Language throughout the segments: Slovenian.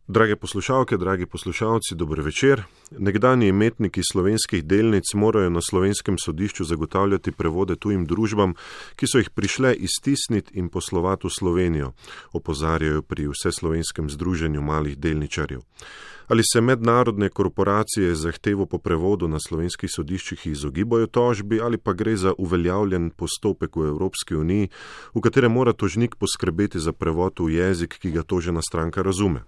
Drage poslušalke, dragi poslušalci, dober večer. Nekdanji imetniki slovenskih delnic morajo na slovenskem sodišču zagotavljati prevode tujim družbam, ki so jih prišle iztisniti in poslovati v Slovenijo, opozarjajo pri Vseslovenskem združenju malih delničarjev. Ali se mednarodne korporacije zahtevo po prevodu na slovenskih sodiščih izogibajo tožbi ali pa gre za uveljavljen postopek v Evropski uniji, v katerem mora tožnik poskrbeti za prevod v jezik, ki ga tožena stranka razume.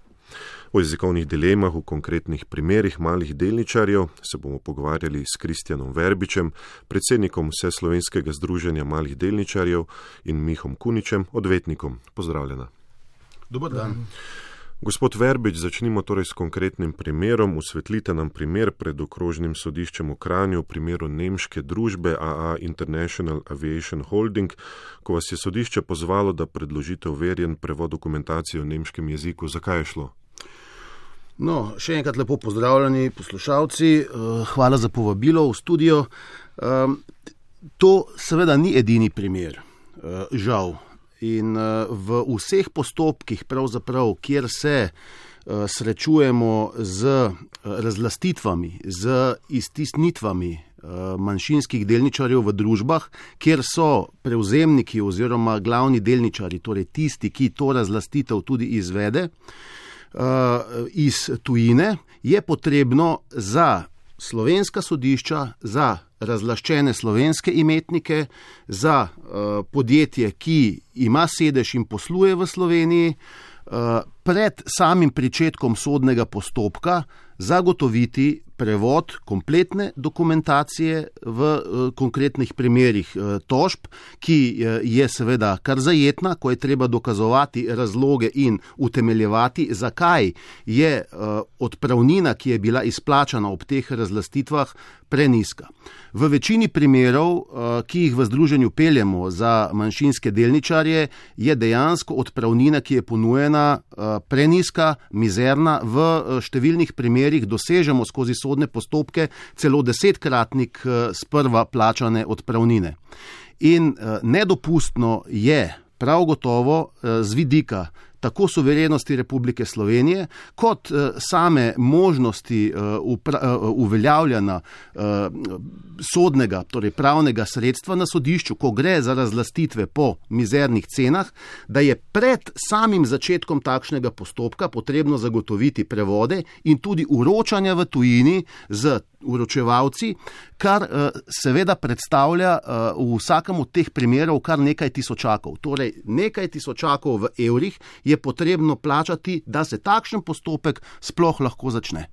O jezikovnih dilemah v konkretnih primerih malih delničarjev se bomo pogovarjali s Kristjanom Verbičem, predsednikom Vseslovenskega združenja malih delničarjev, in Mihom Kuničem, odvetnikom. Pozdravljena. Dobar dan. Gospod Verbič, začnimo torej s konkretnim primerom. Osvetlite nam primer pred okrožnim sodiščem v Kranju v primeru nemške družbe AA International Aviation Holding, ko vas je sodišče pozvalo, da predložite overjen prevod dokumentacije v nemškem jeziku. Zakaj je šlo? No, še enkrat lepo pozdravljeni poslušalci, hvala za povabilo v studio. To seveda ni edini primer, žal. In v vseh postopkih, pravzaprav, kjer se srečujemo z razlastitvami, z iztisnitvami manjšinskih delničarjev v družbah, kjer so prevzemniki oziroma glavni delničarji, torej tisti, ki to razlastitev tudi izvede iz tujine, je potrebno za slovenska sodišča, za razlaščene slovenske imetnike, za podjetje, ki ima sedež in posluje v Sloveniji, pred samim pričetkom sodnega postopka zagotoviti prevod kompletne dokumentacije v konkretnih primerih tožb, ki je seveda kar zajetna, ko je treba dokazovati razloge in utemeljevati, zakaj je odpravnina, ki je bila izplačana ob teh razlastitvah, prenizka. V večini primerov, ki jih v združenju peljemo za manjšinske delničarje, je dejansko odpravnina, ki je ponujena, prenizka, mizerna. V številnih primerih dosežemo skozi sodne postopke celo 10-kratnik sprva plačane odpravnine. In nedopustno je prav gotovo z vidika tako suverenosti Republike Slovenije, kot same možnosti uveljavljanja sodnega, torej pravnega sredstva na sodišču, ko gre za razlastitve po mizernih cenah, da je pred samim začetkom takšnega postopka potrebno zagotoviti prevode in tudi uročanja v tujini z uročevalci, kar seveda predstavlja v vsakem od teh primerov kar nekaj tisočakov. Torej, nekaj tisočakov v evrih je potrebno plačati, da se takšen postopek sploh lahko začne.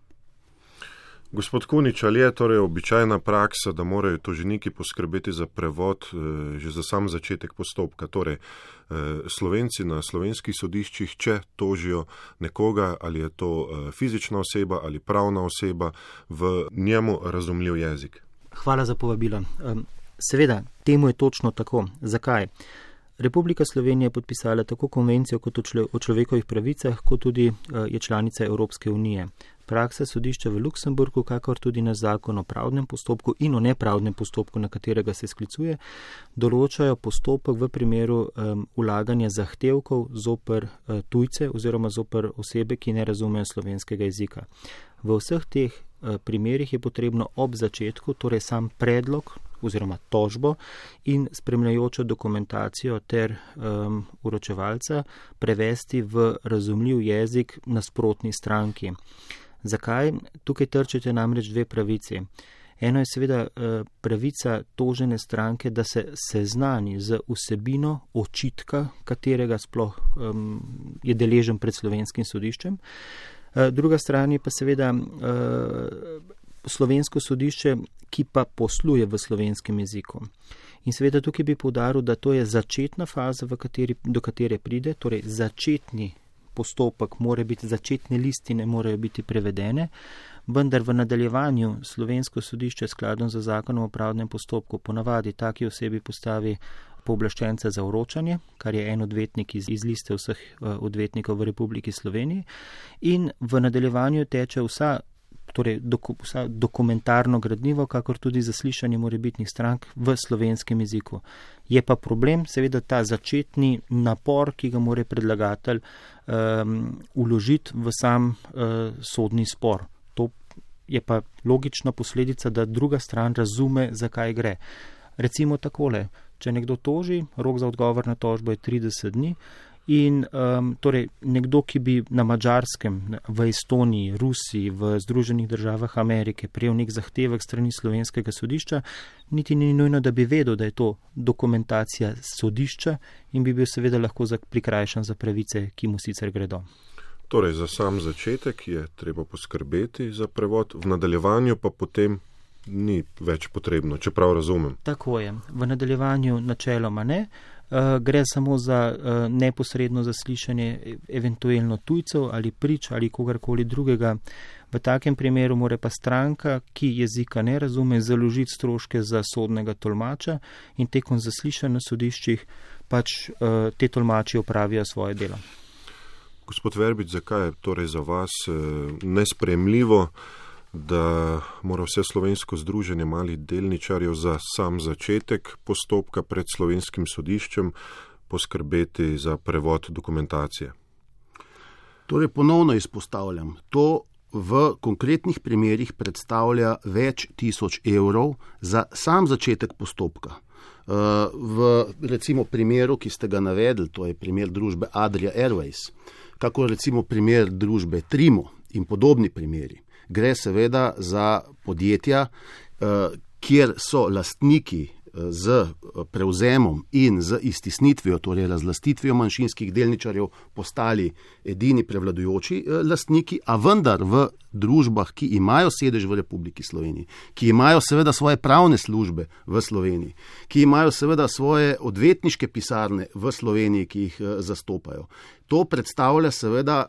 Gospod Kunič, ali je torej običajna praksa, da morajo toženiki poskrbeti za prevod že za sam začetek postopka? Torej, Slovenci na slovenskih sodiščih, če tožijo nekoga, ali je to fizična oseba ali pravna oseba, v njemu razumljiv jezik? Hvala za povabilo. Seveda, temu je točno tako. Zakaj? Republika Slovenija je podpisala tako konvencijo kot o človekovih pravicah, kot tudi je članica Evropske unije. Praksa sodišča v Luksemburgu, kakor tudi na zakon o pravdnem postopku in o nepravdnem postopku, na katerega se sklicuje, določajo postopek v primeru vlaganja zahtevkov zoper tujce oziroma zoper osebe, ki ne razumejo slovenskega jezika. V vseh teh primerih je potrebno ob začetku, torej sam predlog oziroma tožbo in spremljajočo dokumentacijo ter uročevalca prevesti v razumljiv jezik nasprotni stranki. Zakaj? Tukaj trčite namreč dve pravici. Eno je seveda pravica tožene stranke, da se seznani z vsebino očitka, katerega sploh je deležen pred slovenskim sodiščem. Druga stran je pa seveda slovensko sodišče, ki pa posluje v slovenskem jeziku. In seveda tukaj bi poudaril, da to je začetna faza, do katere pride, torej začetni postopek mora biti, začetne listine morajo biti prevedene, vendar v nadaljevanju slovensko sodišče skladno z zakonom o pravdnem postopku ponavadi taki osebi postavi pooblaščenca za vročanje, kar je en odvetnik iz liste vseh odvetnikov v Republiki Sloveniji, in v nadaljevanju teče torej dokumentarno gradivo, kakor tudi zaslišanje morebitnih strank v slovenskem jeziku. Je pa problem seveda ta začetni napor, ki ga mora predlagatelj vložiti v sam sodni spor. To je pa logična posledica, da druga stran razume, zakaj gre. Recimo takole, če nekdo toži, rok za odgovor na tožbo je 30 dni in torej nekdo, ki bi na Madžarskem, v Estoniji, Rusiji, v Združenih državah Amerike prejel nek zahtevek strani slovenskega sodišča, niti ni nujno, da bi vedel, da je to dokumentacija sodišča in bi bil seveda lahko prikrajšan za pravice, ki mu sicer gredo. Torej, za sam začetek je treba poskrbeti za prevod, v nadaljevanju pa potem ni več potrebno, čeprav razumem. Tako je. V nadaljevanju načeloma ne. Gre samo za neposredno zaslišanje eventualno tujcev ali prič ali kogarkoli drugega. V takem primeru mora pa stranka, ki jezika ne razume, založiti stroške za sodnega tolmača in tekom zaslišanj na sodiščih pač te tolmači opravijo svoje delo. Gospod Verbič, zakaj je torej za vas nesprejemljivo, da mora vse slovensko združenje malih delničarjev za sam začetek postopka pred slovenskim sodiščem poskrbeti za prevod dokumentacije? Torej ponovno izpostavljam, to v konkretnih primerih predstavlja več tisoč evrov za sam začetek postopka. V recimo primeru, ki ste ga navedli, to je primer družbe Adria Airways, kako recimo primer družbe Trimo in podobni primeri. Gre seveda za podjetja, kjer so lastniki z prevzemom in z iztisnitvijo, torej razlastitvijo manjšinskih delničarjev, postali edini prevladujoči lastniki, a vendar v družbah, ki imajo sedež v Republiki Sloveniji, ki imajo seveda svoje pravne službe v Sloveniji, ki imajo seveda svoje odvetniške pisarne v Sloveniji, ki jih zastopajo. To predstavlja seveda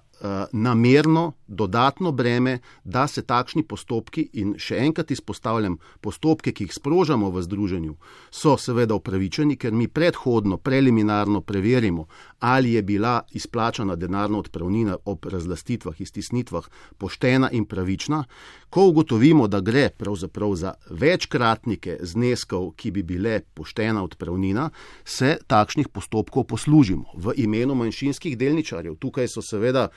namerno dodatno breme, da se takšni postopki, in še enkrat izpostavljam, postopke, ki jih sprožamo v združenju, so seveda upravičeni, ker mi predhodno, preliminarno preverimo, ali je bila izplačana denarna odpravnina ob razlastitvah, iztisnitvah poštena in pravična. Ko ugotovimo, da gre pravzaprav za večkratnike zneskov, ki bi bile poštena odpravnina, se takšnih postopkov poslužimo v imenu manjšinskih delničarjev. Tukaj so seveda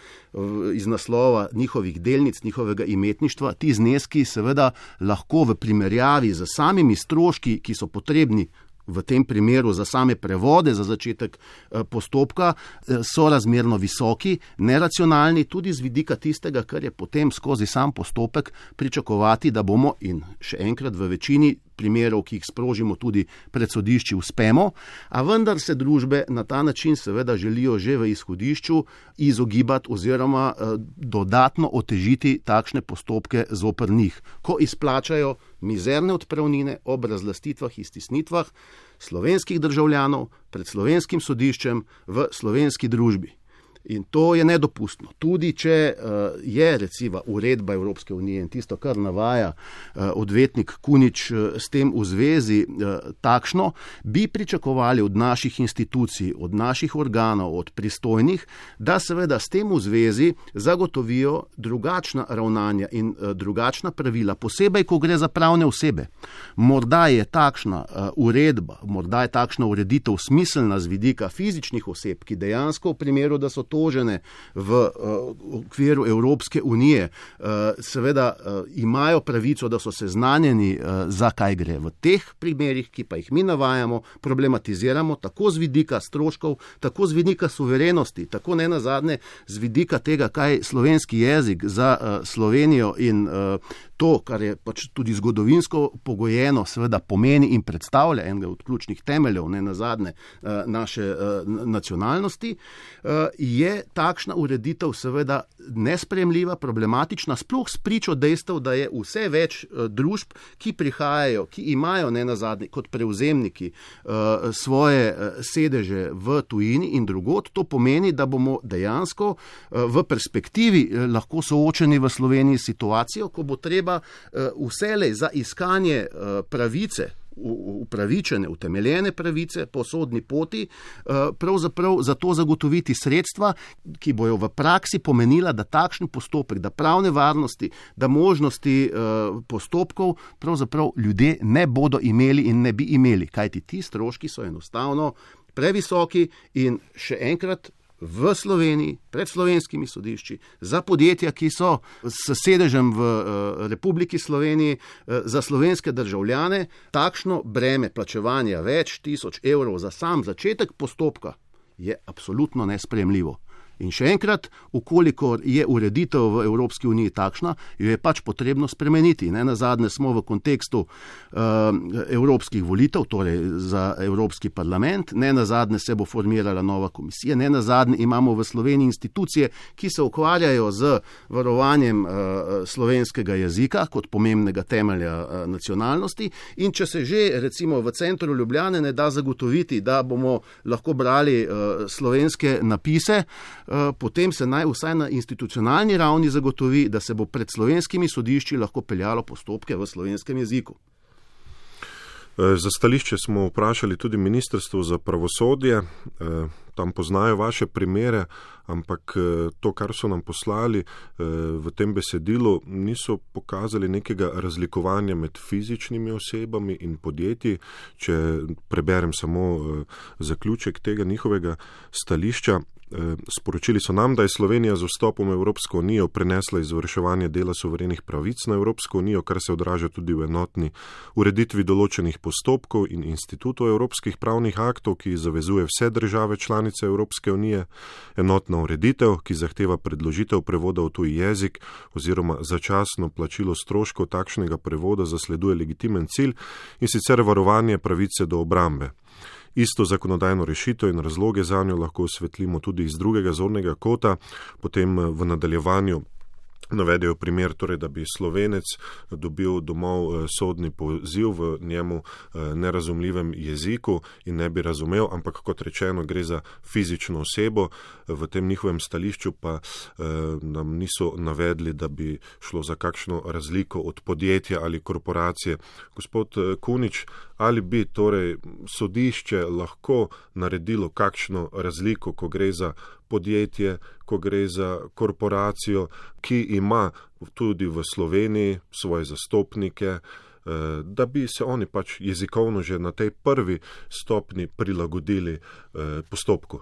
iz naslova njihovih delnic, njihovega imetništva, ti zneski seveda lahko v primerjavi z samimi stroški, ki so potrebni v tem primeru za same prevode za začetek postopka, so razmerno visoki, neracionalni, tudi z vidika tistega, kar je potem skozi sam postopek pričakovati, da bomo, in še enkrat v večini primerov, ki jih sprožimo tudi pred sodišči, uspemo, a vendar se družbe na ta način seveda želijo že v izhodišču izogibati oziroma dodatno otežiti takšne postopke zoper njih, ko izplačajo mizerne odpravnine ob razlastitvah, iztisnitvah slovenskih državljanov pred slovenskim sodiščem v slovenski družbi. In to je nedopustno. Tudi če je recimo uredba Evropske unije in tisto, kar navaja odvetnik Kunič s tem v zvezi takšno, bi pričakovali od naših institucij, od naših organov, od pristojnih, da seveda s tem v zvezi zagotovijo drugačna ravnanja in drugačna pravila, posebej, ko gre za pravne osebe. Morda je takšna uredba, morda je takšna ureditev smiselna z vidika fizičnih oseb, ki dejansko v primeru, da so tožene v okviru Evropske unije, seveda imajo pravico, da so seznanjeni, za kaj gre. V teh primerih, ki pa jih mi navajamo, problematiziramo tako z vidika stroškov, tako z vidika suverenosti, tako ne nazadnje z vidika tega, kaj slovenski jezik za Slovenijo in to, kar je pač tudi zgodovinsko pogojeno, seveda pomeni in predstavlja enega od ključnih temeljev, ne nazadnje naše nacionalnosti, je takšna ureditev seveda nesprejemljiva, problematična, sploh spričo dejstev, da je vse več družb, ki prihajajo, ki imajo ne nazadnje kot prevzemniki svoje sedeže v tujini in drugod. To pomeni, da bomo dejansko v perspektivi lahko soočeni v Sloveniji situacijo, ko bo treba vselej za iskanje pravice upravičene, utemeljene pravice po sodni poti, pravzaprav za to zagotoviti sredstva, ki bojo v praksi pomenila, da takšen postopek, da pravne varnosti, da možnosti postopkov pravzaprav ljudje ne bodo imeli in ne bi imeli, kajti ti stroški so enostavno previsoki in še enkrat v Sloveniji, pred slovenskimi sodišči, za podjetja, ki so s sedežem v Republiki Sloveniji, za slovenske državljane, takšno breme plačevanja več tisoč evrov za sam začetek postopka je absolutno nesprejemljivo. In še enkrat, ukolikor je ureditev v Evropski uniji takšna, jo je pač potrebno spremeniti. Nenazadnje smo v kontekstu evropskih volitev, torej za Evropski parlament, nenazadnje se bo formirala nova komisija, nenazadnje imamo v Sloveniji institucije, ki se ukvarjajo z varovanjem slovenskega jezika kot pomembnega temelja nacionalnosti, in če se že recimo v centru Ljubljane ne da zagotoviti, da bomo lahko brali slovenske napise, potem se naj vsaj na institucionalni ravni zagotovi, da se bo pred slovenskimi sodišči lahko peljalo postopke v slovenskem jeziku. Za stališče smo vprašali tudi Ministrstvo za pravosodje, tam poznajo vaše primere, ampak to, kar so nam poslali v tem besedilu, niso pokazali nekega razlikovanja med fizičnimi osebami in podjetji. Če preberem samo zaključek tega njihovega stališča, sporočili so nam, da je Slovenija z vstopom v Evropsko unijo prenesla izvrševanje dela suverenih pravic na Evropsko unijo, kar se odraža tudi v enotni ureditvi določenih postopkov in institutov evropskih pravnih aktov, ki zavezuje vse države članice Evropske unije, enotna ureditev, ki zahteva predložitev prevoda v tuji jezik oziroma začasno plačilo stroškov takšnega prevoda zasleduje legitimen cilj, in sicer varovanje pravice do obrambe. Isto zakonodajno rešitev in razloge zanjo lahko osvetlimo tudi iz drugega zornega kota, potem v nadaljevanju navedejo primer, torej, da bi Slovenec dobil domov sodni poziv v njemu nerazumljivem jeziku in ne bi razumel, ampak kot rečeno gre za fizično osebo. V tem njihovem stališču pa nam niso navedli, da bi šlo za kakšno razliko od podjetja ali korporacije. Gospod Kunič, ali bi torej sodišče lahko naredilo kakšno razliko, ko gre za podjetje, ko gre za korporacijo, ki ima tudi v Sloveniji svoje zastopnike, da bi se oni pač jezikovno že na tej prvi stopni prilagodili postopku?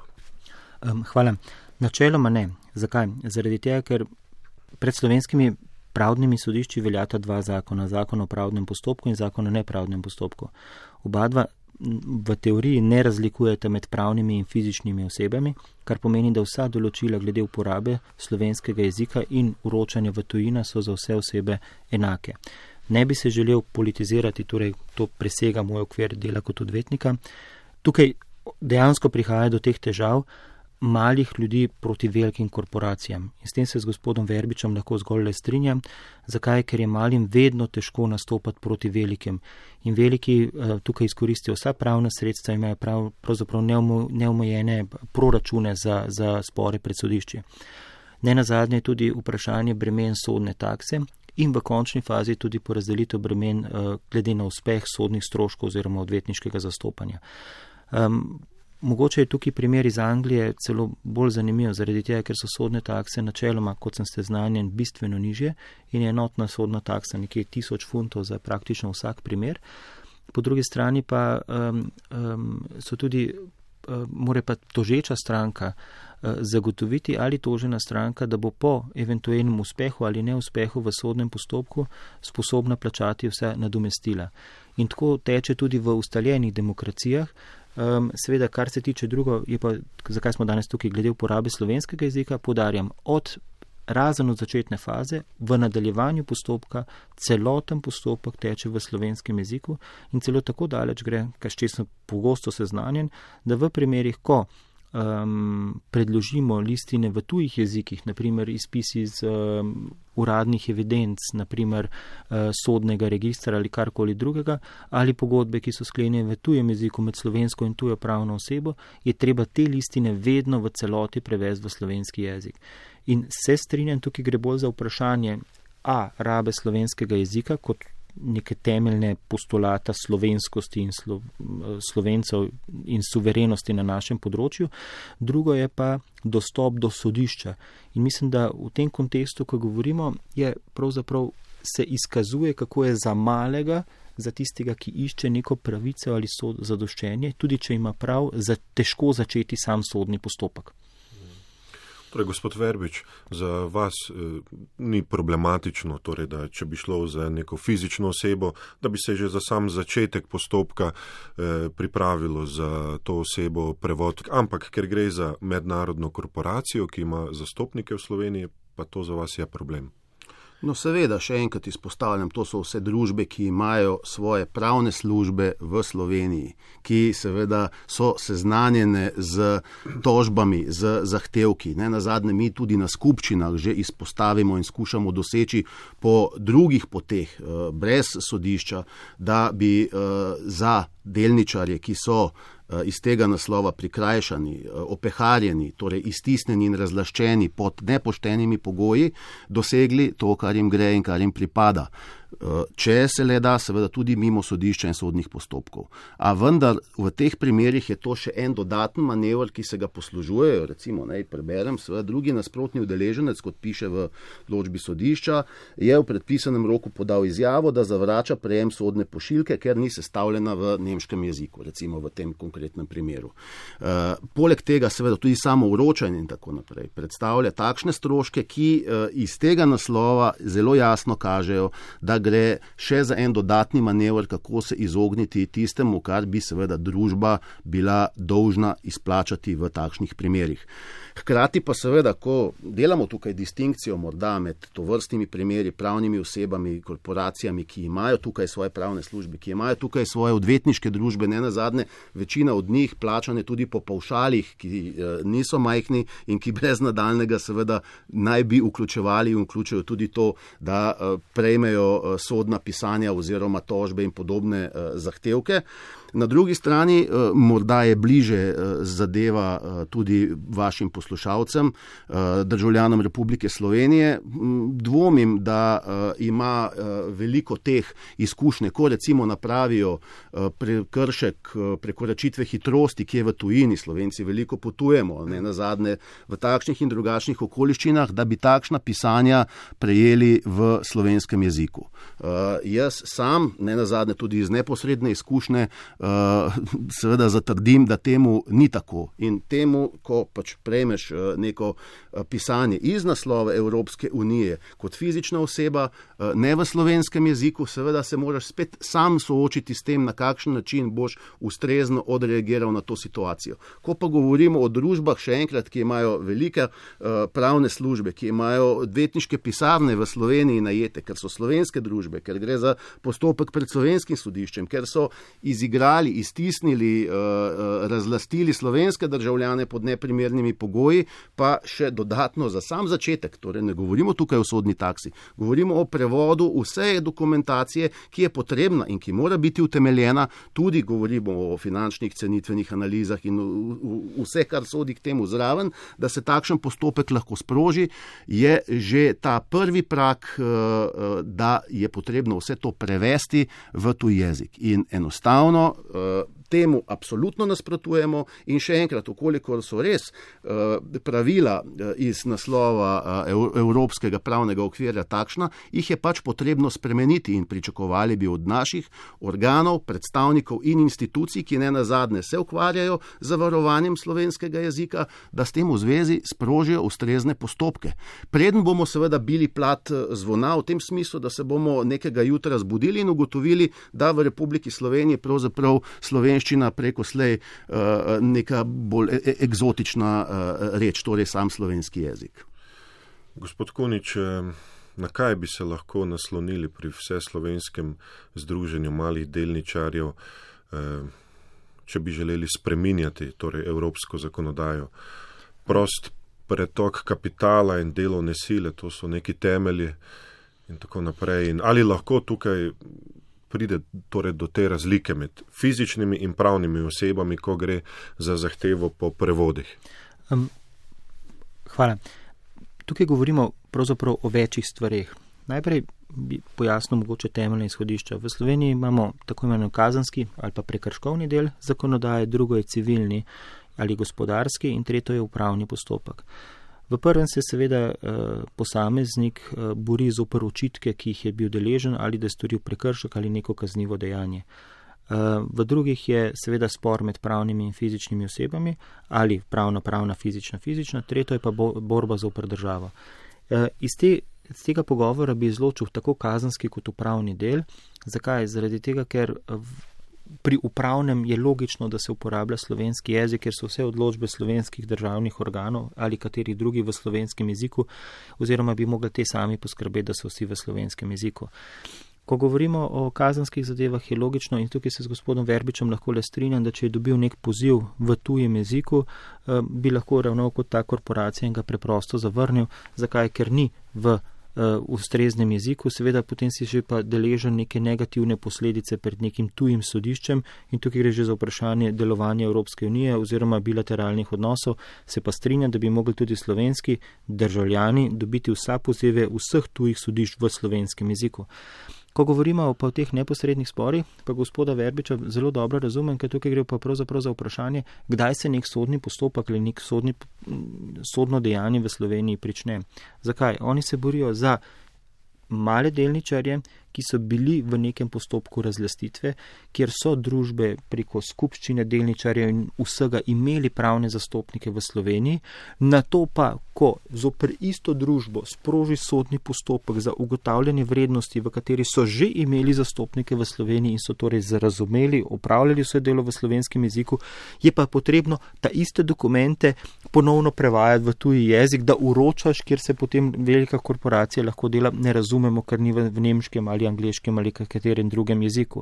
Hvala. Načeloma ne. Zakaj? Zaradi tega, ker pred slovenskimi pravnimi sodišči veljata dva zakona, zakon o pravdnem postopku in zakon o nepravdnem postopku. Oba dva v teoriji ne razlikujete med pravnimi in fizičnimi osebami, kar pomeni, da vsa določila glede uporabe slovenskega jezika in vročanja v tujina so za vse osebe enake. Ne bi se želel politizirati, torej to presega moj okvir dela kot odvetnika. Tukaj dejansko prihaja do teh težav malih ljudi proti velikim korporacijam. In s tem se z gospodom Verbičem lahko zgolj le strinjam. Zakaj? Ker je malim vedno težko nastopati proti velikim. In veliki tukaj izkoristijo vsa pravna sredstva, imajo pravzaprav neomejene proračune za spore pred sodišči. Nenazadnje je tudi vprašanje bremen sodne takse in v končni fazi tudi porazdelitev bremen glede na uspeh sodnih stroškov oziroma odvetniškega zastopanja. Mogoče je tukaj primer iz Anglije celo bolj zanimiv, zaradi tega, ker so sodne takse načeloma, kot sem seznanjen, bistveno nižje in je enotna sodna taksa nekje 1000 funtov za praktično vsak primer. Po drugi strani pa so tudi, mora pa tožeča stranka zagotoviti ali tožena stranka, da bo po eventualnem uspehu ali neuspehu v sodnem postopku sposobna plačati vse nadomestila. In tako teče tudi v ustaljenih demokracijah. Seveda, kar se tiče drugo, je pa, zakaj smo danes tukaj glede uporabe slovenskega jezika, poudarjam, razen od začetne faze, v nadaljevanju postopka, celoten postopek teče v slovenskem jeziku in celo tako daleč gre, kar sem pogosto seznanjen, da v primerih, ko predložimo listine v tujih jezikih, naprimer izpisi iz uradnih evidenc, naprimer sodnega registra ali karkoli drugega, ali pogodbe, ki so sklenjene v tujem jeziku med slovensko in tujo pravno osebo, je treba te listine vedno v celoti prevesti v slovenski jezik. In se strinjam, tukaj gre bolj za vprašanje rabe slovenskega jezika kot neke temeljne postulata slovenskosti in Slovencev in suverenosti na našem področju. Drugo je pa dostop do sodišča. In mislim, da v tem kontekstu, ko govorimo, je pravzaprav se izkazuje, kako je za malega, za tistega, ki išče neko pravico ali zadoščenje, tudi če ima prav, težko začeti sam sodni postopek. Torej, gospod Verbič, za vas ni problematično, torej, da če bi šlo za neko fizično osebo, da bi se že za sam začetek postopka pripravilo za to osebo prevod, ampak ker gre za mednarodno korporacijo, ki ima zastopnike v Sloveniji, pa to za vas je problem. No, seveda, še enkrat izpostavljam, to so vse družbe, ki imajo svoje pravne službe v Sloveniji, ki seveda so seznanjene z tožbami, z zahtevki. Nazadnje mi tudi na skupščinah že izpostavimo in skušamo doseči po drugih poteh, brez sodišča, da bi za delničarje, ki so iz tega naslova prikrajšani, opeharjeni, torej iztisnjeni in razlaščeni pod nepoštenimi pogoji, dosegli to, kar jim gre in kar jim pripada. Če se le da, seveda tudi mimo sodišča in sodnih postopkov. A vendar v teh primerih je to še en dodaten manever, ki se ga poslužujejo, recimo, preberem, seveda drugi nasprotni udeleženec, kot piše v odločbi sodišča, je v predpisanem roku podal izjavo, da zavrača prejem sodne pošiljke, ker ni sestavljena v nemškem jeziku, recimo v tem konkretnem primeru. Poleg tega seveda tudi samo vročanje in tako naprej predstavlja takšne stroške, ki iz tega naslova zelo jasno kažejo, da gre še za en dodatni manever, kako se izogniti tistemu, kar bi seveda družba bila dolžna izplačati v takšnih primerih. Hkrati pa seveda, ko delamo tukaj distinkcijo morda med tovrstnimi primeri, pravnimi osebami, korporacijami, ki imajo tukaj svoje pravne službe, ki imajo tukaj svoje odvetniške družbe, nenazadnje večina od njih plačane tudi po pavšalih, ki niso majhni in ki brez nadaljnega seveda naj bi vključevali in vključujo tudi to, da prejmejo sodna pisanja oziroma tožbe in podobne zahtevke. Na drugi strani morda je bliže zadeva tudi vašim poslušalcem, državljanom Republike Slovenije. Dvomim, da ima veliko teh izkušnje, ko recimo napravijo prekršek prekoračitve hitrosti, ki je v tujini, Slovenci veliko potujemo, nenazadnje v takšnih in drugačnih okoliščinah, da bi takšna pisanja prejeli v slovenskem jeziku. Jaz sam, nenazadnje tudi iz neposredne izkušnje, seveda zatrdim, da temu ni tako. In temu, ko pač prejmeš neko pisanje iz naslova Evropske unije kot fizična oseba, ne v slovenskem jeziku, seveda se moraš spet sam soočiti s tem, na kakšen način boš ustrezno odreagiral na to situacijo. Ko pa govorimo o družbah, še enkrat, ki imajo velike pravne službe, ki imajo odvetniške pisarne v Sloveniji najete, ker so slovenske družbe, ker gre za postopek pred slovenskim sodiščem, ker so izigrali, iztisnili, razlastili slovenske državljane pod neprimernimi pogoji, pa še dodatno za sam začetek, torej ne govorimo tukaj o sodni taksi, govorimo o prevodu vse dokumentacije, ki je potrebna in ki mora biti utemeljena, tudi govorimo o finančnih cenitvenih analizah in vse, kar sodi k temu zraven, da se takšen postopek lahko sproži, je že ta prvi prak, da je potrebno vse to prevesti v tuj jezik. In enostavno temu absolutno nasprotujemo in še enkrat, ukolikor so res pravila iz naslova evropskega pravnega okvirja takšna, jih je pač potrebno spremeniti in pričakovali bi od naših organov, predstavnikov in institucij, ki nenazadnje se ukvarjajo z varovanjem slovenskega jezika, da s tem v zvezi sprožijo ustrezne postopke. Preden bomo seveda bili plat zvona v tem smislu, da se bomo nekega jutra zbudili in ugotovili, da v Republiki Sloveniji pravzaprav slovenščina preko slej neka bolj eksotična reč, torej sam slovenski jezik. Gospod Kunič, na kaj bi se lahko naslonili pri vseslovenskem združenju malih delničarjev, če bi želeli spreminjati torej evropsko zakonodajo? Prost pretok kapitala in delovne sile, to so neki temelji in tako naprej. In ali lahko tukaj pride torej do te razlike med fizičnimi in pravnimi osebami, ko gre za zahtevo po prevodih? Hvala. Tukaj govorimo pravzaprav o večjih stvareh. Najprej bi pojasnil mogoče temeljne izhodišča. V Sloveniji imamo tako imenovan kazenski ali pa prekrškovni del zakonodaje, drugo je civilni ali gospodarski in tretjo je upravni postopek. V prvem se seveda posameznik bori zoper očitke, ki jih je bil deležen ali da je storil prekršek ali neko kaznivo dejanje. V drugih je seveda spor med pravnimi in fizičnimi osebami ali pravna, fizična, tretjo je pa borba zoper državo. Iz tega pogovora bi izločil tako kazenski kot upravni del. Zakaj? Zaradi tega, ker pri upravnem je logično, da se uporablja slovenski jezik, ker so vse odločbe slovenskih državnih organov ali kateri drugi v slovenskem jeziku, oziroma bi mogli te sami poskrbeti, da so vsi v slovenskem jeziku. Ko govorimo o kazenskih zadevah, je logično in tukaj se z gospodom Verbičem lahko le strinjam, da če je dobil nek poziv v tujem jeziku, bi lahko ravnal kot ta korporacija in ga preprosto zavrnil. Zakaj? Ker ni v ustreznem jeziku, seveda potem si že pa deležen neke negativne posledice pred nekim tujim sodiščem in tukaj gre že za vprašanje delovanja Evropske unije oziroma bilateralnih odnosov. Se pa strinjam, da bi mogli tudi slovenski državljani dobiti vsa pozive vseh tujih sodišč v slovenskem jeziku. Ko govorimo pa o teh neposrednih sporih, pa gospoda Verbiča zelo dobro razumem, ker tukaj gre pa pravzaprav za vprašanje, kdaj se nek sodni postopek ali nek sodno dejanje v Sloveniji prične. Zakaj? Oni se borijo za male delničarje, ki so bili v nekem postopku razlastitve, kjer so družbe preko skupščine delničarjev in vsega imeli pravne zastopnike v Sloveniji, na to pa, ko zoper isto družbo sproži sodni postopek za ugotavljanje vrednosti, v kateri so že imeli zastopnike v Sloveniji in so torej razumeli, opravljali vse delo v slovenskem jeziku, je pa potrebno ta iste dokumente ponovno prevajati v tuji jezik, da uročaš, kjer se potem velika korporacija lahko dela, ne razumemo, ker ni v nemškem ali angleškem ali katerem drugem jeziku.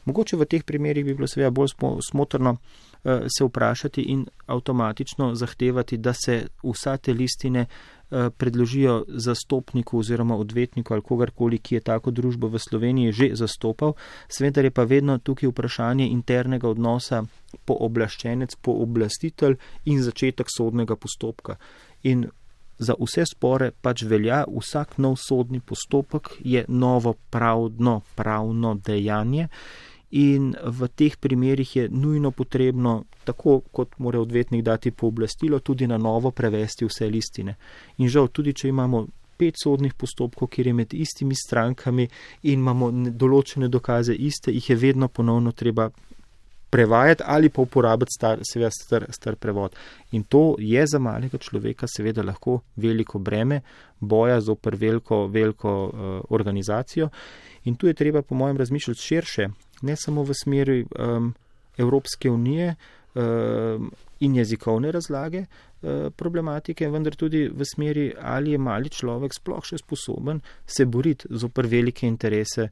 Mogoče v teh primerih bi bilo seveda bolj smotrno se vprašati in avtomatično zahtevati, da se vsa te listine predložijo zastopniku oziroma odvetniku ali kogarkoli, ki je tako družbo v Sloveniji že zastopal. Seveda je pa vedno tukaj vprašanje internega odnosa pooblaščenec, pooblastitelj in začetek sodnega postopka. In za vse spore pač velja, vsak nov sodni postopek je novo pravno dejanje in v teh primerih je nujno potrebno, tako kot mora odvetnik dati pooblastilo, tudi na novo prevesti vse listine. In žal, tudi če imamo 5 sodnih postopkov, kjer je med istimi strankami in imamo določene dokaze iste, jih je vedno ponovno treba prevajati ali pa uporabiti star prevod. In to je za malega človeka seveda lahko veliko breme boja zoper veliko organizacijo. In tu je treba po mojem razmišljati širše, ne samo v smeri Evropske unije in jezikovne razlage problematike, vendar tudi v smeri, ali je mali človek sploh še sposoben se boriti zoper velike interese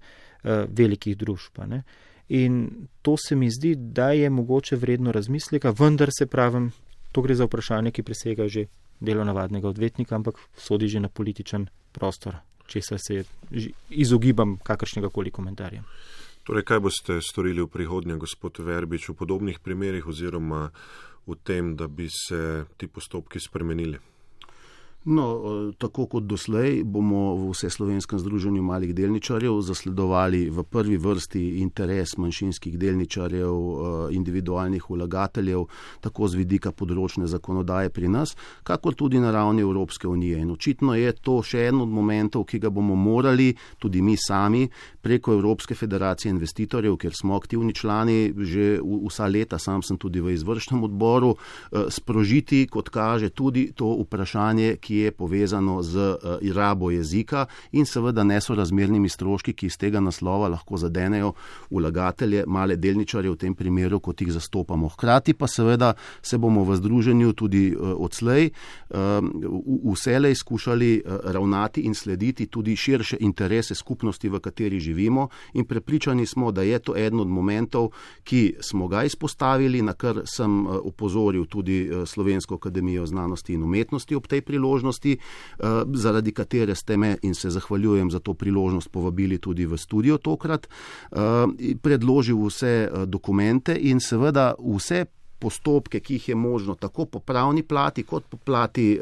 velikih družb. Ne? In to se mi zdi, da je mogoče vredno razmisleka, vendar se pravim, to gre za vprašanje, ki presega že delo navadnega odvetnika, ampak sodi že na političen prostor, česar se izogibam kakršnega koli komentarja. Torej, kaj boste storili v prihodnje, gospod Verbič, v podobnih primerih oziroma v tem, da bi se ti postopki spremenili? No, tako kot doslej bomo v Vseslovenskem združenju malih delničarjev zasledovali v prvi vrsti interes manjšinskih delničarjev, individualnih vlagateljev, tako z vidika področne zakonodaje pri nas, kakor tudi na ravni Evropske unije. In očitno je to še en od momentov, ki ga bomo morali tudi mi sami preko Evropske federacije investitorjev, ker smo aktivni člani že vsa leta, sam sem tudi v izvršnem odboru, sprožiti, kot kaže, tudi to vprašanje, ki je povezano z rabo jezika in seveda nesorazmernimi stroški, ki iz tega naslova lahko zadenejo vlagatelje, male delničarje v tem primeru, kot jih zastopamo. Hkrati pa seveda se bomo v združenju tudi odslej vselej skušali ravnati in slediti tudi širše interese skupnosti, v kateri živimo, in prepričani smo, da je to eden od momentov, ki smo ga izpostavili, na kar sem opozoril tudi Slovensko akademijo znanosti in umetnosti ob tej priložnosti, zaradi katere ste me, in se zahvaljujem za to priložnost, povabili tudi v studio tokrat, predložil vse dokumente in seveda vse postopke, ki jih je možno tako po pravni plati, kot po plati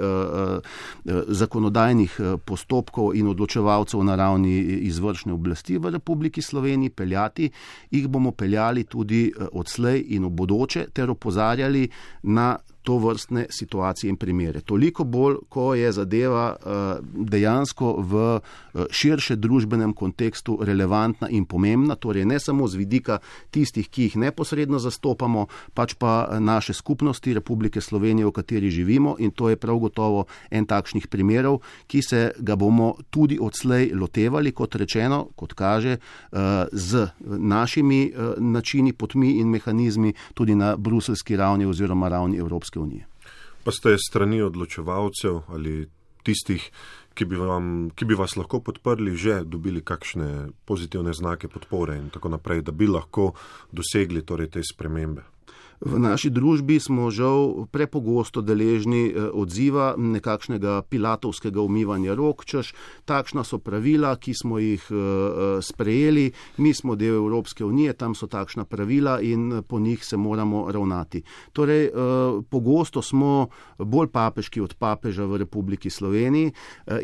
zakonodajnih postopkov in odločevalcev na ravni izvršne oblasti v Republiki Sloveniji peljati, jih bomo peljali tudi odslej in v bodoče ter opozarjali na to vrstne situacije in primere. Toliko bolj, ko je zadeva dejansko v širše družbenem kontekstu relevantna in pomembna, torej ne samo z vidika tistih, ki jih neposredno zastopamo, pač pa naše skupnosti Republike Slovenije, v kateri živimo, in to je prav gotovo en takšnih primerov, ki se ga bomo tudi odslej lotevali, kot rečeno, kot kaže, z našimi načini, potmi in mehanizmi tudi na bruseljski ravni oziroma ravni Evropske unije. Pa ste strani odločevalcev ali tistih, ki bi vas lahko podprli, že dobili kakšne pozitivne znake podpore in tako naprej, da bi lahko dosegli torej te spremembe? V naši družbi smo žal prepogosto deležni odziva nekakšnega pilatovskega umivanja rok, češ takšna so pravila, ki smo jih sprejeli, mi smo del Evropske unije, tam so takšna pravila in po njih se moramo ravnati. Torej, pogosto smo bolj papeški od papeža v Republiki Sloveniji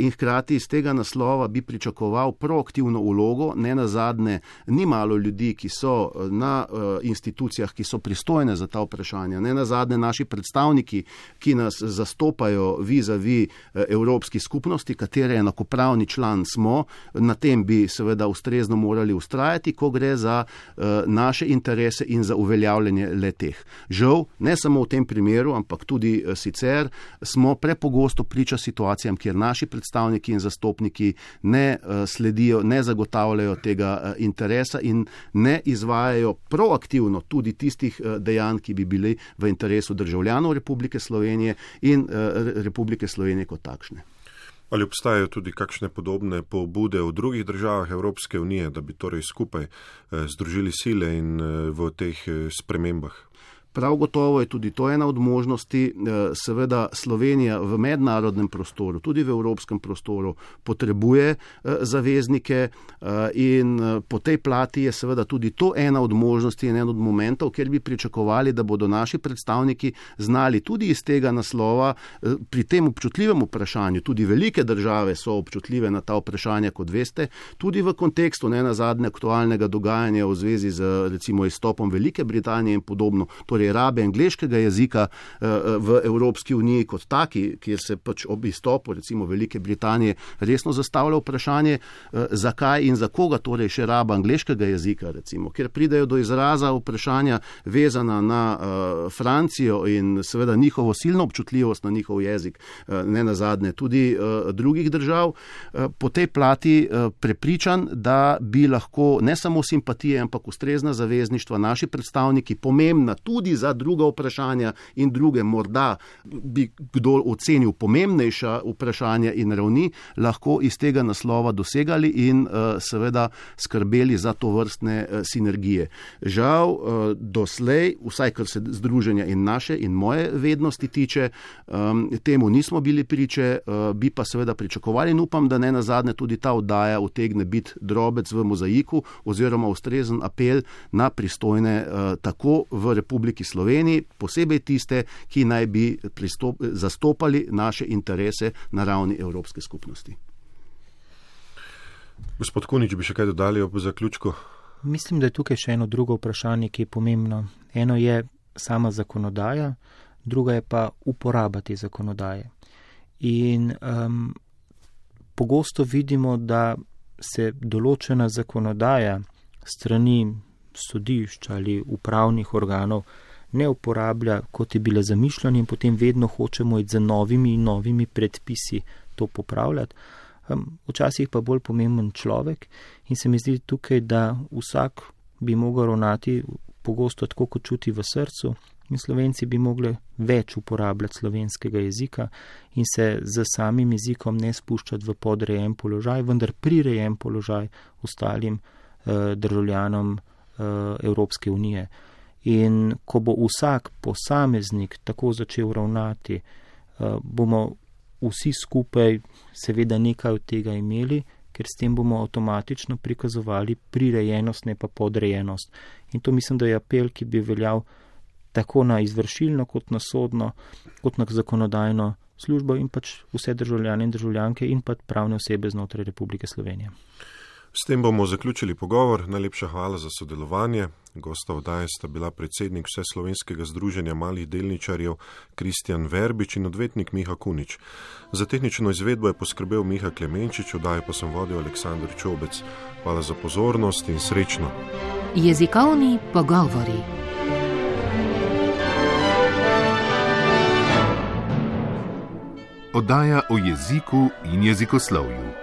in hkrati iz tega naslova bi pričakoval proaktivno vlogo, ne nazadnje ni malo ljudi, ki so na institucijah, ki so pristojne za ta vprašanja. Ne nazadnje naši predstavniki, ki nas zastopajo vis-a-vis Evropski skupnosti, katere enakopravni član smo, na tem bi seveda ustrezno morali ustrajati, ko gre za naše interese in za uveljavljanje le-teh. Žal, ne samo v tem primeru, ampak tudi sicer smo prepogosto priča situacijam, kjer naši predstavniki in zastopniki ne sledijo, ne zagotavljajo tega interesa in ne izvajajo proaktivno tudi tistih dejanj, ki bi bili v interesu državljanov Republike Slovenije in Republike Slovenije kot takšne. Ali obstajajo tudi kakšne podobne pobude v drugih državah Evropske unije, da bi torej skupaj združili sile in v teh spremembah? Prav gotovo je tudi to ena od možnosti. Seveda Slovenija v mednarodnem prostoru, tudi v evropskem prostoru, potrebuje zaveznike in po tej plati je seveda tudi to ena od možnosti in en od momentov, kjer bi pričakovali, da bodo naši predstavniki znali tudi iz tega naslova pri tem občutljivem vprašanju, tudi velike države so občutljive na ta vprašanja, kot veste, tudi v kontekstu ne nazadnje aktualnega dogajanja v zvezi z recimo izstopom Velike Britanije in podobno, torej rabe angleškega jezika v Evropski uniji kot taki, kjer se pač ob izstopu recimo Velike Britanije resno zastavlja vprašanje, zakaj in za koga torej še raba angleškega jezika, recimo, ker pridejo do izraza vprašanja vezana na Francijo in seveda njihovo silno občutljivost na njihov jezik, ne nazadnje tudi drugih držav. Po tej plati prepričan, da bi lahko ne samo simpatije, ampak ustrezna zavezništva naši predstavniki, pomembna tudi za druga vprašanja in druge, morda bi kdo ocenil pomembnejša vprašanja in ravni, lahko iz tega naslova dosegali in seveda skrbeli za to vrstne sinergije. Žal, doslej, vsaj kar se združenja in naše in moje vednosti tiče, temu nismo bili priče, bi pa seveda pričakovali in upam, da ne nazadnje tudi ta oddaja utegne biti drobec v mozaiku oziroma ustrezen apel na pristojne tako v Republiki Sloveniji, posebej tiste, ki naj bi zastopali naše interese na ravni Evropske skupnosti. Gospod Kunič, bi še kaj dodali ob zaključku? Mislim, da je tukaj še eno drugo vprašanje, ki je pomembno. Eno je sama zakonodaja, druga je pa uporaba te zakonodaje. In pogosto vidimo, da se določena zakonodaja strani sodišč ali upravnih organov ne uporablja, kot je bila zamišljena in potem vedno hočemo iti za novimi in novimi predpisi to popravljati. Včasih pa bolj pomemben človek in se mi zdi tukaj, da vsak bi mogel ravnati pogosto tako, kot čuti v srcu in Slovenci bi mogli več uporabljati slovenskega jezika in se z samim jezikom ne spuščati v podrejen položaj, vendar prirejen položaj ostalim državljanom Evropske unije. In ko bo vsak posameznik tako začel ravnati, bomo vsi skupaj seveda nekaj od tega imeli, ker s tem bomo avtomatično prikazovali prirejenost, ne pa podrejenost. In to mislim, da je apel, ki bi veljal tako na izvršilno, kot na sodno, kot na zakonodajno službo in pač vse državljane in državljanke in pa pravne osebe znotraj Republike Slovenije. S tem bomo zaključili pogovor. Najlepša hvala za sodelovanje. Gosta oddaje sta bila predsednik Vseslovenskega združenja malih delničarjev Kristjan Verbič in odvetnik Miha Kunič. Za tehnično izvedbo je poskrbel Miha Klemenčič, oddajo pa sem vodil Aleksandr Čobec. Hvala za pozornost in srečno. Jezikovni pogovori. Oddaja o jeziku in jezikoslovju.